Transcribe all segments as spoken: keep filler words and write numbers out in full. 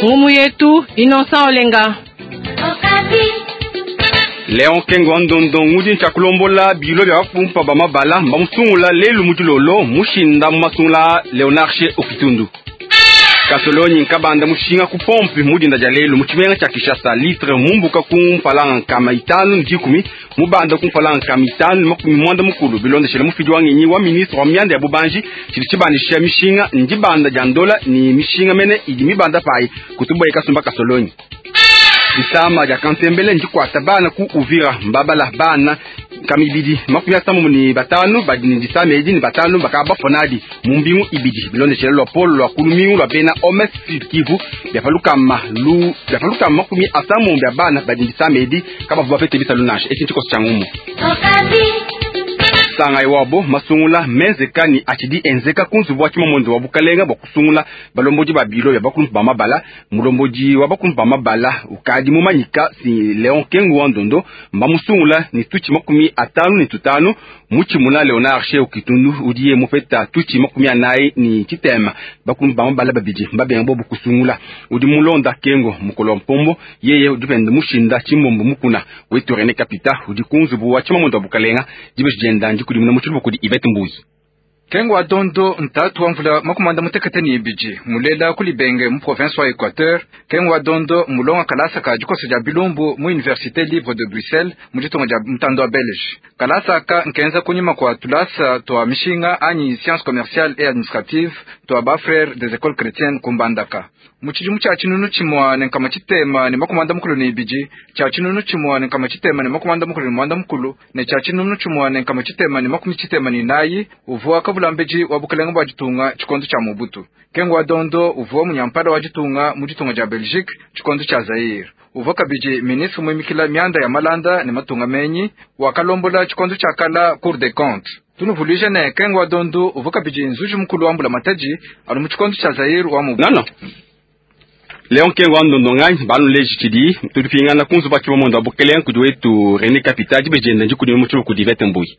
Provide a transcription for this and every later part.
Ngumu yetu Innocent Olenga. Leon Kengo wa Ndondo ngudi ntshakulombola bilo bya bafumpa ba mabala mbamusungula lelu mudilolo mushinda mu masungula Leonard She Okitundu. Kasolonyi nkabanda mushinga ku pompe mudinda dia lelu mu tshimenga tshia Kinshasa litre mumbuka ku mpalanga nkama itanu ne dikumi mubanda ku mpalanga nkama itanu ne makumi mwanda mukulu bilondeshela mufidi wa ngenyi wa ministre wa mianda ya bubanji tshidi tshibandisha mishinga ndibanda dia ndola ni mishinga mene idi mibanda payi kutuboye kasumba kasolonyi. Disama dia kantembele ndikwata bana ku Uvira mbabala bana kamibidi makumi asamu ni batanu badi ni disama edi ni batanu bakaba bafonadi mu mbingu ibidi bilondeshela lwa polo lwa kulumingu lwa bena O M S Sud Kivu byapalukama lu byapalukama makumi asamu bya bana badi ni disama edi kabavu bapete bisalu nansha eki ntshikoso tshia ngumu. Sanga iwabo masungula menzeka ni achidi enzeka kunzubu wa tshimamondo wa bukalenga bwa kusungula balombodi ba bilo ya bakulumpu ba mabala mulombodi wa bakulumpu ba mabala ukadi mumanyika si Leon Kengo wa Ndondo mbamusungula ni tuchi makumi atanu ni tutanu mutshimuna Leonard She Okitundu udiye mupeta tuchi makumi anayi ni tshitema. Bakulumpu ba mabala babidi mbabenga bobu kusungula udi mulonda Kengo mukolo wa mpombo yeye udi pende mushinda tshimbombo mukuna wetu René Kapita udi kunzubu wa tshimamondo wa bukalenga dibeji dienda ndikudimuna mu tshiluba kudi Yvette Mbuyi. Kengo wa Dondo ntatu wa mvula makumanda mutekete ni ibidi mulela kulibenge mu province wa Equateur. Kengo wa Dondo mulonga kalasa ka dikoso dia bilumbu mu Université Libre de Bruxelles mu ditunga dia mutando wa Belge. Kalasa aka nkenza kunyima kwa tulasa twa mishinga anyi sciences commerciales et administratives twa ba frères des écoles chrétiennes kumbandaka mu tshidimu tshia tshinunu tshimua ne nkama tshitema ne makumanda mukulu ne ibidi, tshia tshinunu tshimua ne nkama tshitema ne makumanda mukulu ne muanda mukulu ne tshia tshinunu tshimua ne nkama tshitema ne makumi tshitema ne inayi. Uvua kavulambedi wa bukalenga bua ditunga tshikondo tshia Mobutu. Kengo wa Dondo uvua munyampala wa ditunga mu ditunga dia Belgique tshikondo tshia Zaire. Uvua kabidi ministre muimikila mianda ya malanda ne matunga menyi, wakalombola tshikondo tshia kala Cour des comptes. Tunuvuluija ne Kengo wa Dondo uvua kabidi nzuji mukulu wa mbula matadi anu mu tshikondo tshia Zaire wa Mobutu. Non, non. Leon Kengo wa Ndondo nganyi banuleji tshidi tudipingana kunzubu wa tshimamondo wa bukalenga kudi wetu René Kapita dibeji dienda ndikudimuna mu tshiluba kudi Yvette Mbuyi.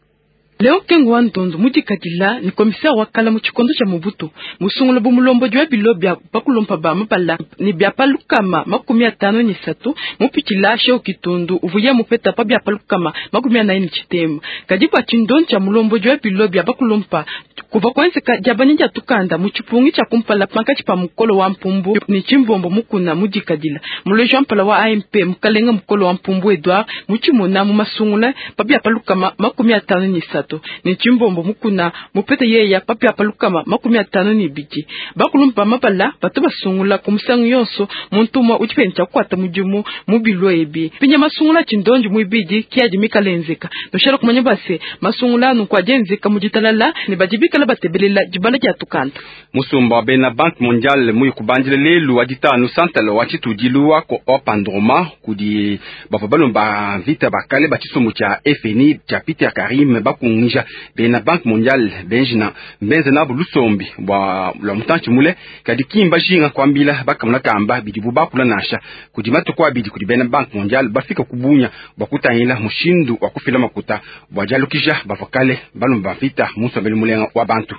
Leon Kengo wa Ndondo mudikadila ni commissaire wa kala mu tshikondo tshia Mobutu musungula bu mulombodi wa bilo bya bakulumpa ba mabala ni bya palukama makumi atanu ni satu mupitshila She Okitundu uvuya mupeta pa bya palukama makumi anayi ni tshitema. Kadi bua tshindondo tshia mulombodi wa bilo bya bakulumpa kuva kuenzeka diabanya dia tukanda mu tshipungi tshia kumpala pankatshi pa mukolo wa mpumbu ni tshimbombo mukuna mudikadila muleji wa mpala wa A M P mukalenga mukolo wa mpumbu Edouard mutshimuna mu masungula pa bya palukama makumi atanu ni satu ni tshimbombo mukuna mupete yeya pa bya palukama makumi atanu ni ibidi. Bakulumpa mabala bato basungula ku musangu yonso muntu umwe udi pende kukwata mudimu mu bilo ebi pinya masungula tshindonji muibidi kiadi mikalenzeka noshala kumanya base masungula anu kuadienzeka mu ditalala ne badi bikala batebelela dibala dia tukanda. Musumba wa bena Banque mondiale muyi kubandila lelu wa ditanu santala wa tshitudilu wa wa Pandroma kudi bavua balomba mvita bakale ba tshisumbu tshia F N I tshia Peter Karim bakungija bena Banque mondiale benjina mbenze nabo lusombi bua lwa mutantshi mule kadi kimba jinga kuambila bakamuna kamba bidibu bakula nansha kudi matuku abidi kudi bena Banque mondiale bafika kubunya bua kutangila mushindu wa kufila makuta bua dialukija bavua kale balomba mvita mu nsombelu mulenga wa bantu.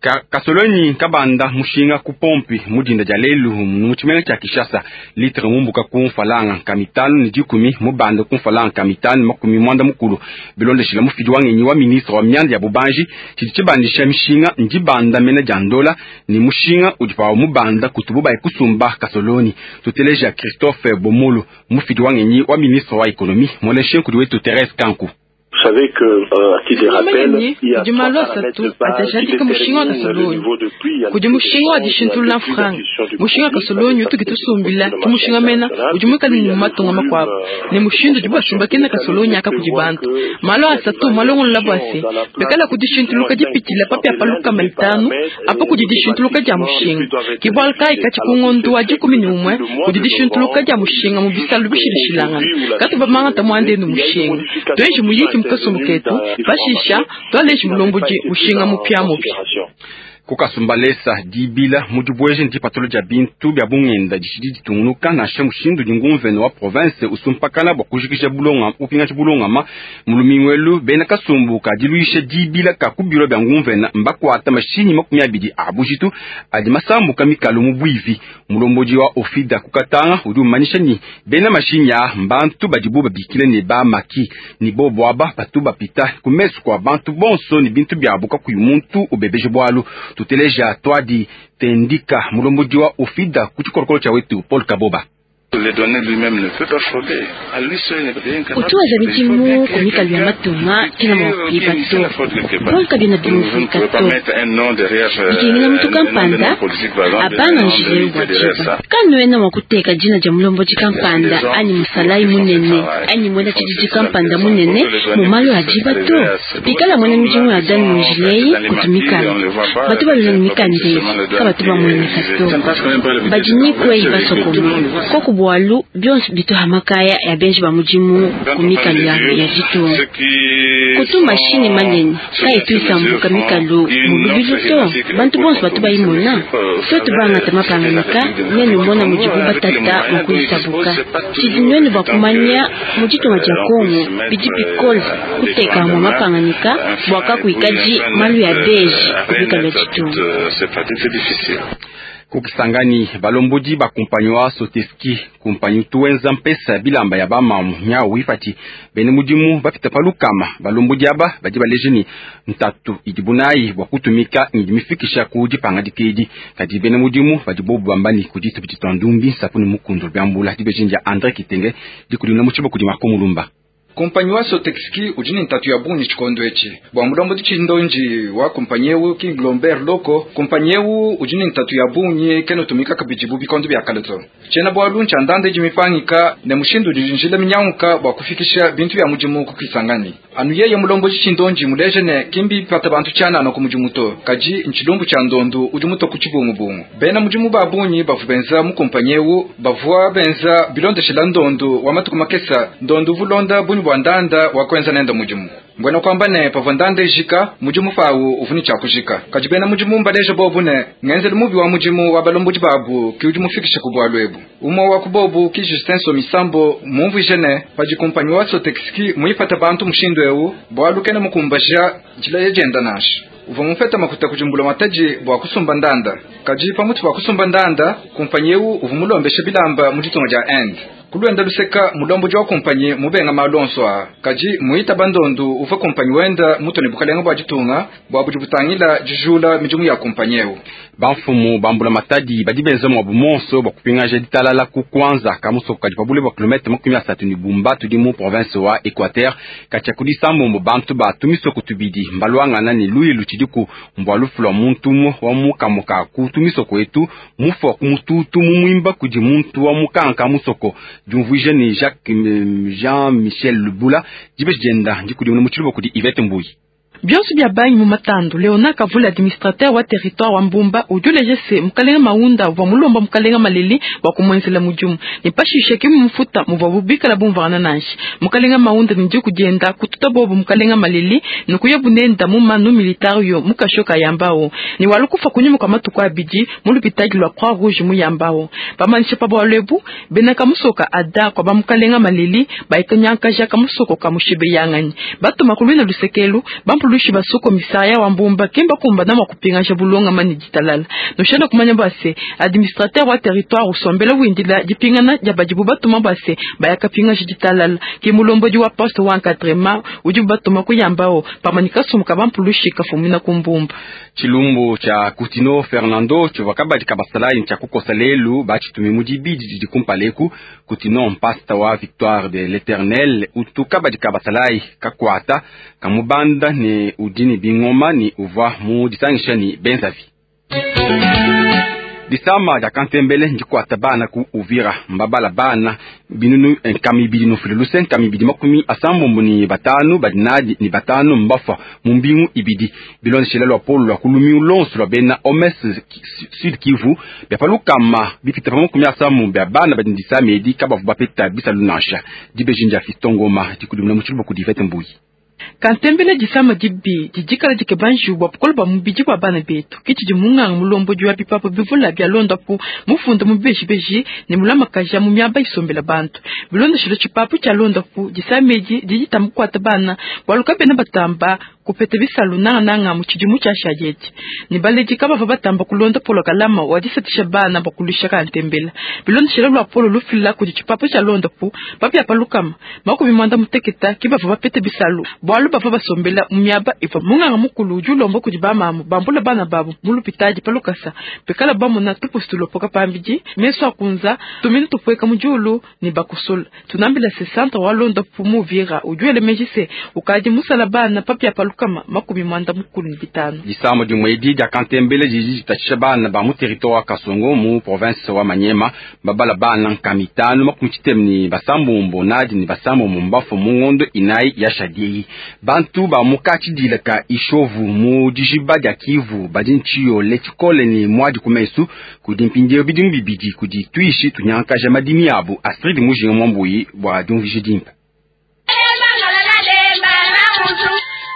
Ka, kasolonyi kabanda mushinga ku pompi mudinda dia lelu mu tshimenga tshia Kinshasa litre mumbuka ku mfalanga nkama itanu ne dikumi mubanda ku mfalanga nkama itanu makumi mwanda mukulu bilondeshela mufidi wa ngenyi wa ministre wa mianda ya bubanji tshidi tshibandisha mishinga ndibanda mena dia ndola ni mushinga udi pawa mubanda kutubu bayi kusumba kasoloni. Tuteleja Christophe Bomolo mufidi wa ngenyi wa ministre wa économie moleshe kudi wetu Therese Kanku. Tumanyi kudi malu asatu atajadika mushinga wa kasolonyi kudi mushinga wa dishintulula mfranga mushinga wa kasolonyi utuki tusumbila ki mushinga mena udi muikale mu matunga makuabu ne mushindu udi basumbakena kasolonyi aka kudi bantu. Malu asatu malongolola bua se bekala kudi shintuluka dipitshila papia pa lukama itanu apa kudi dishintuluka dia mushinga ke bualu kayi katshi ku ngondo wa dikumi ne umue kudi dishintuluka dia mushinga mu bisalu bishilashilangana katu bamangata muandenu mushinga tuenji muyiki mu kasumbu ketu pashisha twaleji mulombodi mushinga mupiamupia. Kukasumbalesa dibila mudibweje ndipatolo dia bintu bya bungenda dishidi ditungunuka nansha mushindu dingumvene wa province usumpakana bwa kujikisha bulonga upingaji bulongama mulumingwelu bena kasumbu ka diluisha dibila ka kubiro bya ngumvena mbakwata mashinyi makumi abidi abujitu adi masambuka mikalo mu bwivi. Mulomboji wa ofida kukatanga udi umanyisha ni bena mashinyi a mbantu badibu babikile ne ba maki ni bobo aba batu bapita kumesu kwa bantu bonso ni bintu byabuka kuyu muntu ubebeje bwalu. Tuteleja twadi tendika mulombodi wa ofida kuchikorokoro cha wetu Paul Kaboba. Utuwaza midimu kumikalu ya matunga kila mwakuiba to bonka bina bimuvika to bikengela mutu kampanda abanga njile wajiba kanuena mwakuteka jina ja mulomboji kampanda ani musalai munene ani mwena chijiji kampanda munene mumalo ajiba to bikala mwene midimu ya dani munjileyi kutumikala batu balula ni mikandeli ka batu bamweneka to bajinikweyi basokoma kokubwa walu byonse bituha makaya ya benji ba mujimu kumikalu ya ya ditunga kutu mashini manene kayi tuisambuka mikalu mulubilu to bantu bonso batu bayimona twetu bangata mapanganika nenu mona mujibu batata mukuisabuka tshidi nwenu bakumanya mu ditunga dia Kongo bidi bikole kuteka mwa mapanganika bwaka kuikaji malu ya beji kumikalu ya ditunga. Kukisangani balombodi bakumpanywa Soteski kumpanyi tuwenza mpesa bilamba ya bamamu nyawu ifati bene mudimu bapita palukama balombodi aba badi baleje ni ntatu idibunayi bwa kutumika ngidimifikisha ku dipanga dikedi kadi bene mudimu badi bobu bambani kudi tupiti ndumbi sapuni mukundu byambula dibejenja André Kitenge dikulina muchibo kudi Marco Mulumba. Kumpanyi wa Sotexki ujini ntatu ya bunyi chikondo echi bwa mulombo dichindonji wa kumpanyi ewu King Lomber Loko kumpanyi ewu ujini ntatu ya bunyi keno tumika kabijibu bikondo bya kaleto chena bwa luncha ndande jimipangika ne mushindu dijinjila minyanguka bwa kufikisha bintu bya mujimu kukisangani anu yeye mulombo dichindonji muleje ne kimbi pata bantu chana no kumujimuto kaji nchilumbu cha ndondu ujimuto kuchibungubungu bena mujimu ba bunyi bavubenza mu kumpanyi ewu bavua benza bilondeshela ndondu wa matuku makesa ndondu vulonda bunyi bwa ndanda wakwenza nenda mujimu mbwena kwamba ne pavwa ndanda ijika mujimu fawu uvuni chakujika kajibena mujimu mbaleja bobu ne ngenzeli mubi wa mujimu wa balomboji babu kiuji mufikisha kubwa lwebu umwe wa kubobu ki Justin Somisambo mumvije ne paji kumpanyi wa Sotexki muipata bantu mushindu ewu bwalu kene mukumbaja jila yejenda nasha uva mufeta makuta kujumbula mataji bwa kusumba ndanda kaji pamutu bwa kusumba ndanda kumpanyi ewu uva mulombesha bilamba mujitunga ja end kulwenda luseka mulombo jwa kumpanyi mubenga malonso a kaji muita bandondu uva kumpanyi wenda mutoni bukalenga bwa jitunga bwa bujibutangila jijula mijumu ya kumpanyi ewu bamfumu bambula matadi badi benza mwa bumonso bwa kupingaja ditalala ku kwanza kamusoko kadi pabule bwa kilomètre makumi asatu ni bumba tudi mu province wa Equateur katia kudi sambombo bantu batumisoko tubidi mbalwangana ni luilu tshidiku mbwa lufu lwa muntu umwe wa mukamuka kutumisoko etu mufu kumututu mumuimba kudi muntu wa mukanka musoko jumvuije ni Jacques Jean Michel Lubula dibeji dienda ndikudi mu tshiluba kudi Yvette Mbuyi. Bionso bya bangi mu matandu Leona Kavula administrateur wa territoire wa Mbumba ujuleje se mukalenga maunda wa mulomba mukalenga maleli wa kumwenzela mujumu ni pashishe kimu mfuta muvwa bubikala bumvana nanshi mukalenga maunda ni kujenda kututa bobo mukalenga maleli nukuye bunenda mu manu militario mukashoka yambao ni walukufa kunyuma kwa matuku abidi mu lupitagi lwa Croix Rouge mu yambao pamanisha pa bwalebu bena kamusoka ada kwa ba mukalenga maleli baikanyankaja kamusoko kamushebe yangani batuma kulwina lusekelu bampulu basoko misaya wa Mbumba kemba kumba na makupinga bulonga mani ditalala noshana kumanya base administrateur wa territoire usombela windila dipingana jabajibu batuma base bayakapinga ditalala ke mulombo wa poste wa encadrement udi batuma kuyambao pamanika somuka bampulushi kafumina kumbumba chilumbu cha Kutino Fernando chivakabadi kabasala cha kukosa lelu bachitumi mudibidi didikumpaleku Kutino mpasta wa Victoire de l'Éternel utukabadi kabasalai kakwata kamubanda ni udini bingoma ni uva mu disangisha ni benzavi disama ya kantembele ndikwata bana ku Uvira mbabala bana binunu nkami bidi no filuluse nkami bidi makumi asambombo ni batanu badinadi ni batanu mbafa mumbingu ibidi bilonshela lwa polo lwa kulumi ulonso lwa bena omes Sud Kivu byapalukama bipita pa makumi asambo bya bana badindisa medi kabavu bapeta bisalu nansha dibejinja Fiston Ngoma dikudumna muchiluba ku Divete Mbuyi. Kantembele disama dibi didikala dikebanji bua bukole bua mubidi bua bana betu kitshidi munganga mulombodi wa bipapu bivula bia londapu mufunda mu bibejibeji ne mulamakaja mu miaba isombela bantu. Bilondeshilo tshipapu tshia londapu disama edi didi tamukuata bana bualu kabena batamba kupeta bisalu nangananga mu tshidimu tshia shadieti ne baledi kabava batamba kulonda polo kalama wa disatisha bana bakulisha kantembela. Bilondeshilo lwa polo lufila kudi tshipapu tshia londapu papia palukama makumi mwanda muteketa kibava bapete bisalu bualu bava basombela mu miaba iva munganga mukulu udi ulomba kudi bamamu bambula bana babu mu lupitadi palukasa pekala bamona tupusi tulopoka pambidi meso akunza tuminu tupueka mu diulu ne bakusula. Tunambila se centre wa londapu mu Uvira udi wele se ukadi musala bana papia palukama makumi mwanda mukulu ne bitanu. Disama dimue edi dia kantembele didi ditatshisha bana ba mu territoire wa Kasongo mu province wa Manyema babala bana nkama itanu makumi tshitema ne basambombo nadi ne basambombo mbafu mu ngondo inayi ya shadieyi. Bantu ba mu katshidila ka Ishovu mu dijiba dia Kivu badi ntshiyole tshikole ne muadi ku mesu kudi mpindieu bidimu bibidi kudi tuishi tunyankaja madimi abu. Astrid Mujinga Mwambuyi bua diumvuija dimpe.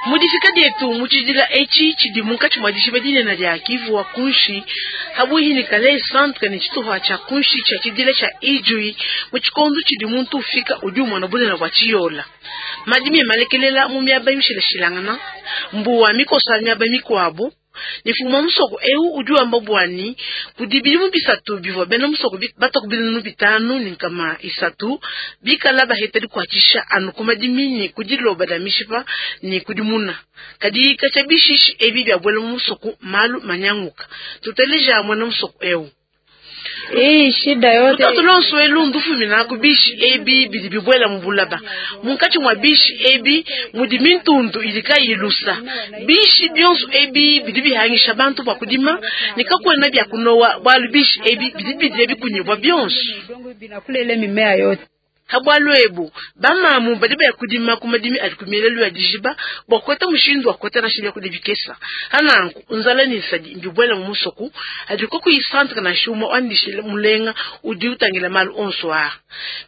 Mudifika dietu muchidila echi chidi munkatshi mwa dijiba dinene dia Kivu wa kunshi habuhi ni kale centre ni chituha cha kunshi cha chidila cha Ijui muchikondu chidi muntu ufika udi umwana bunene bwa chiyola madimi malekelela mu miaba imishilashilangana mbuwa mikosa miaba mikuabu nifuma musoko eu udi wamba bwani kudi bilimu bisatu bivwa bena musoko bataku binunu bitanu ni nkama isatu bikala baheta dikuatshisha anu ku madimi kudiloba da mishipa ni kudimuna kadi kacha bishishi ebi bya bwela mu musoko malu manyanguka tuteleja mwana musoko eu. Hii shida yote Mtoto lonso elundu fumina kubishi ebi bidi bibwela mubulaba munkatshi mwa bishi ebi mudi mintundu idika ilusa bishi byonso ebi bidi bihangisha bantu bwa kudima nikakwena bya kunowa bwalu bishi ebi bidi bidi bikunyibwa byonso binakulele mimea yote. Habwalu ebu bamamu badi baya kudima kumadimi adi kumielelu ya dijiba bwa kweta mushindu wa kweta na shibya kudibikesa hananku nzala ni nsadi mbibwela mu musoku adi ko kuyisantra na shuma wandishile mulenga udi utangila malu onso a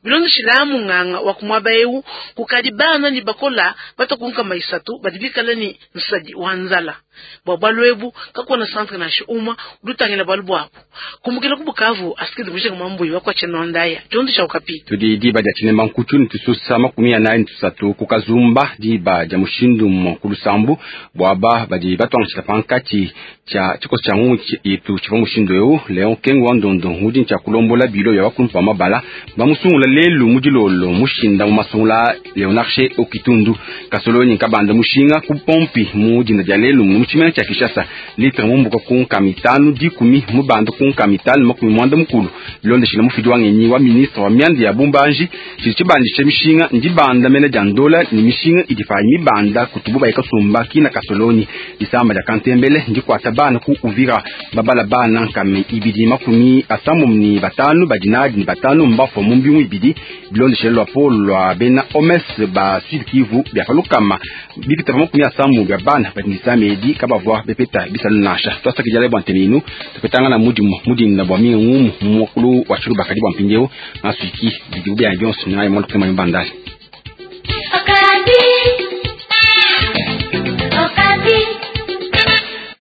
bilondeshila munganga wa kumwaba eu kukadi bana ni bakola batakunka maisatu badi bikala ni nsadi wa nzala bwa bwalu ebu kakona santra na shuma udi utangila bwalu bwabu kumukila kubukavu asikidi mujinga mwambuyi wakwa chenondaya chondo cha ukapi tudi diba dia tshinema nkutshu ne tususa makumi anayi ne tusatu ku kazumba diba dia mushindu mwa ku lusambu bwaba badi batwangishila pankatshi tshia tshikoso tshia ngungu itu tshivua mushindu eu Leon Kengo wa Ndondo ngudi ntshia kulombola bilo ya bakulumpa ba mabala bamusungula lelu mu dilolo mushinda mu masungula Leonard She Okitundu kasolonyi nkabanda mushinga ku pompi mu dina dia lelu mu tshimena tshia Kinshasa litre mumbuka ku nkama itanu dikumi mubanda ku nkama itanu makumi mwanda mukulu bilondeshila mufidi wa ngenyi wa ministre wa mianda ya bumbanji tshidi tshibandisha mishinga ndibanda mene dia ndola ni mishinga idi payi mibanda kutubu bayikasumba kina kasolonyi disamba dia kantembele ndikuata bana ku Uvira babala bana nkame ibidi makumi asambo ni batanu badinadi ni batanu mbafo mu mbingu ibidi bilondeshela lwa polo lwa bena omes ba Sud Kivu bya palukama bipita pa makumi asambo bya bana badindisama edi kabavua bepeta bisalu nasha twasakidila bwa ntenenu tupetanga na mudimu mudinda bwa minga ngumu mukulu wa tshilubakadi bwa mpindieu masuiki bidibu bya byonso naye mwana kutema bandali.